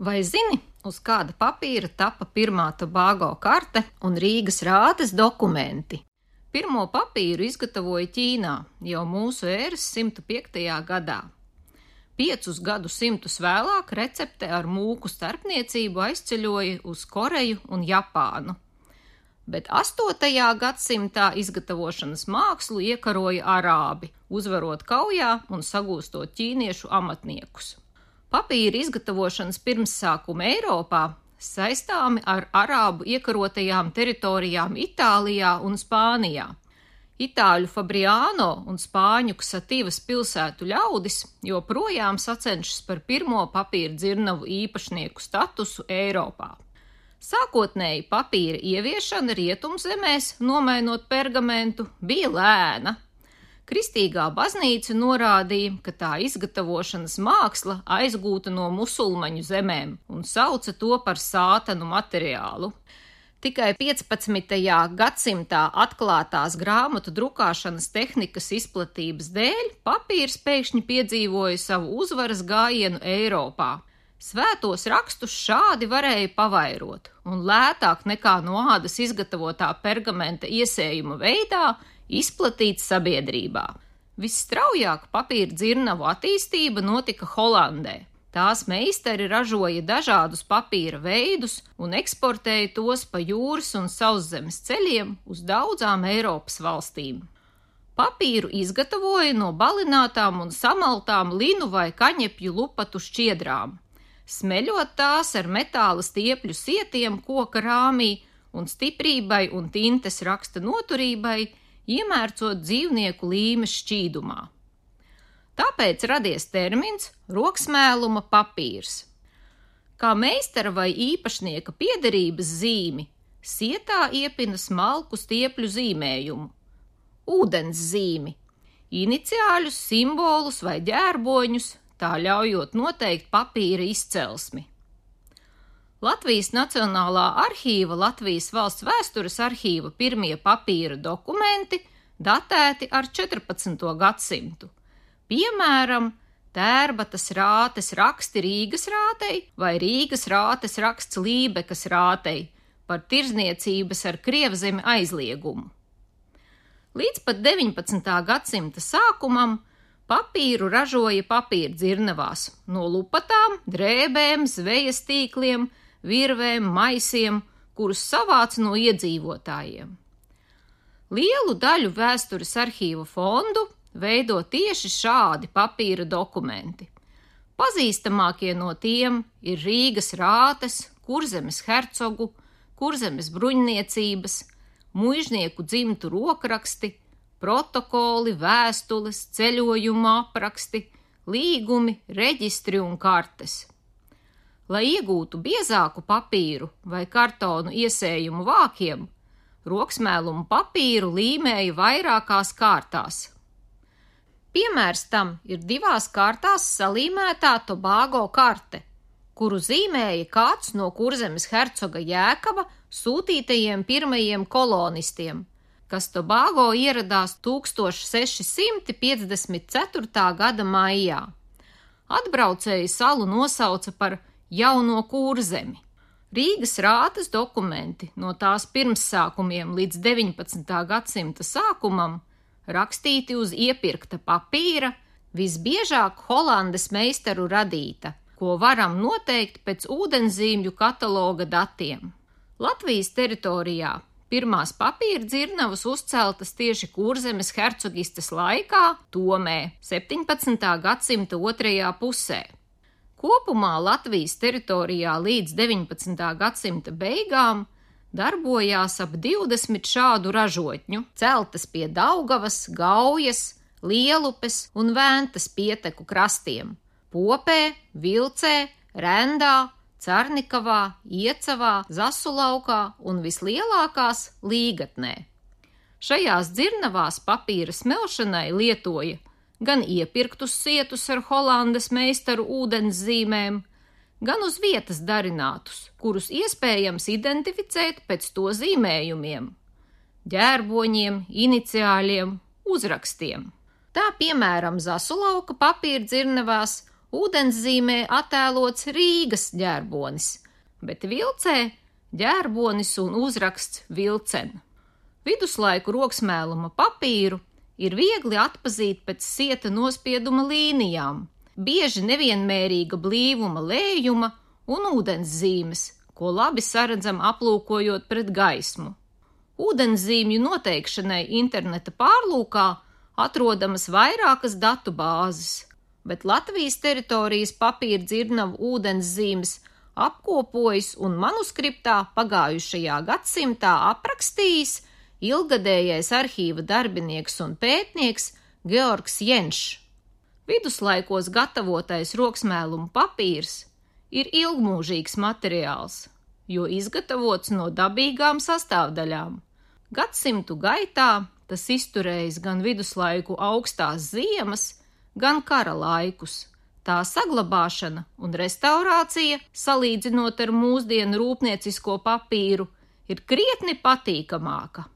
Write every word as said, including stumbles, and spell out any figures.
Vai zini, uz kāda papīra tapa pirmā Tobago karte un Rīgas rātes dokumenti? Pirmo papīru izgatavoja Ķīnā jau mūsu ēras simt piektajā gadā. Piecus gadu simtus vēlāk recepte ar mūku starpniecību aizceļoja uz Koreju un Japānu. Bet astotajā gadsimtā izgatavošanas mākslu iekaroja arābi, uzvarot kaujā un sagūstot ķīniešu amatniekus. Papīra izgatavošanas pirmsākumi Eiropā saistāmi ar arābu iekarotajām teritorijām Itālijā un Spānijā. Itāļu Fabriano un spāņu Ksativas pilsētu ļaudis joprojām sacenšas par pirmo papīra dzirnavu īpašnieku statusu Eiropā. Sākotnēji papīra ieviešana rietumzemēs, nomainot pergamentu, bija lēna. Kristīgā baznīca norādīja, ka tā izgatavošanas māksla aizgūta no musulmaņu zemēm un sauca to par sātanu materiālu. Tikai piecpadsmitajā gadsimtā atklātās grāmatu drukāšanas tehnikas izplatības dēļ papīrs pēkšņi piedzīvoja savu uzvaras gājienu Eiropā. Svētos rakstus šādi varēja pavairot, un lētāk nekā no ādas izgatavotā pergamenta iesējuma veidā izplatīt sabiedrībā. Visstraujāk papīra dzirnavu attīstība notika Holandē. Tās meistari ražoja dažādus papīra veidus un eksportēja tos pa jūras un sauszemes ceļiem uz daudzām Eiropas valstīm. Papīru izgatavoja no balinātām un samaltām linu vai kaņepju lupatu šķiedrām, smeļot tās ar metāla stiepļu sietiem koka rāmī un stiprībai un tintes raksta noturībai, iemērcot dzīvnieku līmes šķīdumā. Tāpēc radies termins roksmēluma papīrs. Kā meistara vai īpašnieka piederības zīmi, sietā iepina smalku stiepļu zīmējumu, ūdens zīmi, iniciāļus, simbolus vai ģērboņus, tā ļaujot noteikt papīra izcelsmi. Latvijas Nacionālā arhīva Latvijas valsts vēstures arhīva pirmie papīra dokumenti datēti ar četrpadsmito gadsimtu. Piemēram, Tērbatas rātes raksti Rīgas rātei vai Rīgas rātes raksts Lībekas rātei par tirdzniecības ar Krievzemi aizliegumu. Līdz pat deviņpadsmitā gadsimta sākumam papīru ražoja papīra dzirnavās no lupatām, drēbēm, zvejas tīkliem, virvēm, maisiem, kurus savāca no iedzīvotājiem. Lielu daļu vēstures arhīva fondu veido tieši šādi papīra dokumenti. Pazīstamākie no tiem ir Rīgas rātes, Kurzemes hercogu, Kurzemes bruņniecības, muižnieku dzimtu rokraksti, protokoli, vēstules, ceļojumu apraksti, līgumi, reģistri un kartes. Lai iegūtu biezāku papīru vai kartonu iesējumu vākiem, roksmēlumu papīru līmēja vairākās kārtās. Piemērs tam ir divās kārtās salīmētā Tobago karte, kuru zīmēja kāds no Kurzemes hercoga Jēkaba sūtītajiem pirmajiem kolonistiem, kas Tobago ieradās tūkstoš seši simti piecdesmit ceturtā gada maijā. Atbraucēji salu nosauca par Jauno Kurzemi. Rīgas rātes dokumenti no tās pirmsākumiem līdz deviņpadsmitā gadsimta sākumam rakstīti uz iepirkta papīra, visbiežāk Holandes meistaru radīta, ko varam noteikt pēc ūdenzīmju kataloga datiem. Latvijas teritorijā pirmās papīra dzirnavas uzceltas tieši Kurzemes hercogistes laikā, Tomē, septiņpadsmitā gadsimta otrajā pusē. Kopumā Latvijas teritorijā līdz deviņpadsmitā gadsimta beigām darbojās ap divdesmit šādu ražotņu, celtas pie Daugavas, Gaujas, Lielupes un Ventas pieteku krastiem – Popē, Vilcē, Rendā, Carnikavā, Iecavā, Zasulaukā un vislielākās Līgatnē. Šajās dzirnavās papīra smelšanai lietoja gan iepirktus sietus ar Holandes meistaru ūdenszīmēm, gan uz vietas darinātus, kurus iespējams identificēt pēc to zīmējumiem, ģērboņiem, iniciāļiem, uzrakstiem. Tā piemēram Zasulauka papīra dzirnavās Ūdenszīmē attēlots Rīgas ģērbonis, bet vilcē ģērbonis un uzraksts Vilcen. Viduslaiku roksmēluma papīru ir viegli atpazīt pēc sieta nospieduma līnijām, bieži nevienmērīga blīvuma lējuma un ūdenszīmes, ko labi saredzam aplūkojot pret gaismu. Ūdenszīmju noteikšanai interneta pārlūkā atrodamas vairākas datu bāzes, bet Latvijas teritorijas papīra dzirnavu ūdenszīmes apkopojis un manuskriptā pagājušajā gadsimtā aprakstījis ilgadējais arhīva darbinieks un pētnieks Georgs Jenšs. Viduslaikos gatavotais roksmēluma papīrs ir ilgmūžīgs materiāls, jo izgatavots no dabīgām sastāvdaļām. Gadsimtu gaitā tas izturējis gan viduslaiku augstās ziemas, gan kara laikus. Tā saglabāšana un restaurācija, salīdzinot ar mūsdienu rūpniecisko papīru, ir krietni patīkamāka.